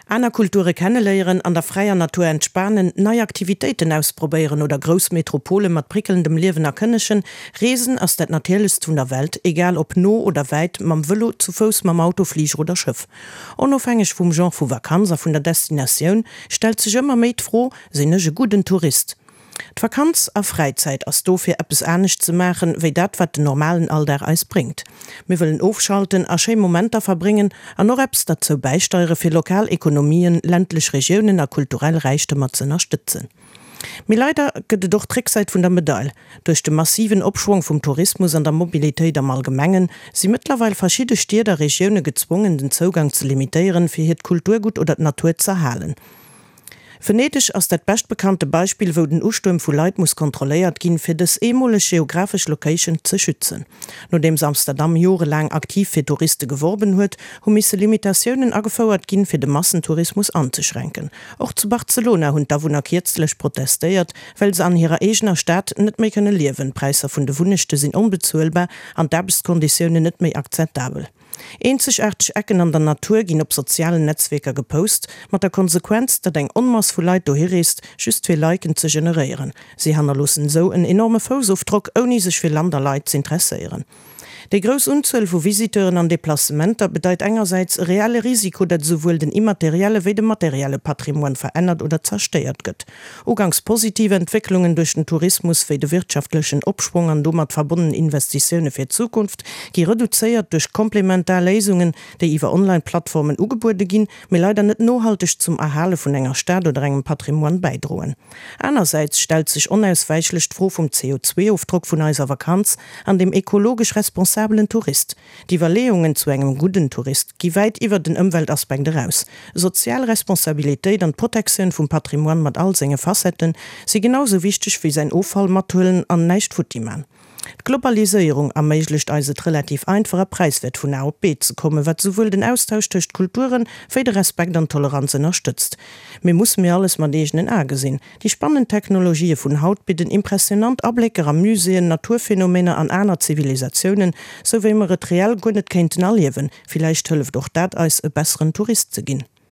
Aner Kulture kenneléieren, an der fräier Natur entspanen, nei Aktivitéiten ausprobéieren oder grouss Metropole mat prickelndem Liewen erkënnegen, Reesen ass dat Natierlechst vun der Welt, egal ob no oder wäit, mam Vëlo, zu Fouss, mam Auto, Fliger oder Schëff. Onofhängeg vum Genre vu Vakanz a vun der Destinatioun stellt sech ëmmer méi d'Fro, Sinn ech e gudden Tourist? D'Vakanz a Fräizäit ass do fir eppes anescht ze maachen, wéi dat wat den normalen Alldag eis bréngt. Mir wëllen ofschalten a schéi Momenter verbréngen an och eppes derzou bäisteiere fir lokal Ekonomien, ländlech Regiounen a kulturell Räichtemer z'ënnerstëtzen. Mee leider gëtt et och d'Récksäit vun der Medail. Duerch de massiven Opschwong vum Tourismus an der Mobilitéit am Allgemengen, si mëttlerweil verschidde Stied a Regioune gezwongen den Zougang ze limitéieren, fir hiert Kulturgutt oder d'Natur z'erhalen. Venedeg ass dat beschtbekannte Beispill, wou den Ustuerm vu Leit muss kontrolléiert ginn, fir dës eemoleg geographesch Location ze schützen. Nodeems Amsterdam jorelaang aktiv fir Touriste geworben huet, hu misse Limitatiounen agefouert ginn, fir de Massentourismus anzeschränken. Och zu Barcelona hunn d'Awunner kierzlech protestéiert, well se an hirer eegener Stad net méi kënne liewen, d'Präisser vun de Wunnechte sinn onbezuelbar an d'Aarbechtskonditiounen net méi akzeptabel. Eenzegaarteg Ecken an der Natur ginn op sozialen Netzwierker gepost, mat der Konsequenz, datt eng Onmass vu Leit dohi reest, just fir Liken ze generéieren. Si hannerloossen esou en enorme Foussofdrock, ouni sech fir Land a Leit z'interesséieren. Déi grouss Unzuel vu Visiteuren an Deplacementer bedeit engersäits e reelle Risiko, datt esouwuel den immaterielle wéi de materielle Patrimoine verännert oder zerstéiert gëtt. Uganks positiv Entwécklungen duerch den Tourismus, wéi de wirtschaftlechen Opschwong an domat verbonnen Investitioune fir d'Zukunft, gi reduzéiert duerch komplementar Léisungen, déi iwwer Online-Plattformen ugebuede ginn, mee leider net nohalteg zum Erhale vun enger Stad oder engem Patrimoine bäidroen. Anersäits stellt sech onauswäichlech d'Fro vum CO2-Ofdrock vun eiser Vakanz an dem ekologesch responsabelen Tourist. D'Iwwerleeungen zu engem gudden Tourist gi wäit iwwer den Ëmweltaspekt eraus. Sozial Responsabilitéit an d'Protektioun vum Patrimoine mat all senge Facetten si genau sou wichteg wéi säin Offall mathuelen an näischt futti man. D'Globaliséierung erméiglecht eis et relativ einfach a präiswäert vun A op B ze kommen, wat souwuel den Austausch tëscht Kulturen wéi de Respekt an d'Toleranz ënnerstëtzt. Mee musse mir alles mat eegenen Ae gesinn? Déi spannend Technologië vun haut bidden impressionant Ablécker a Muséeën, Naturphenomener an aner Zivilisatiounen, sou wéi mer et reell guer net kéinten erliewen. Villäicht hëlleft och dat eis, e besseren Tourist ze ginn.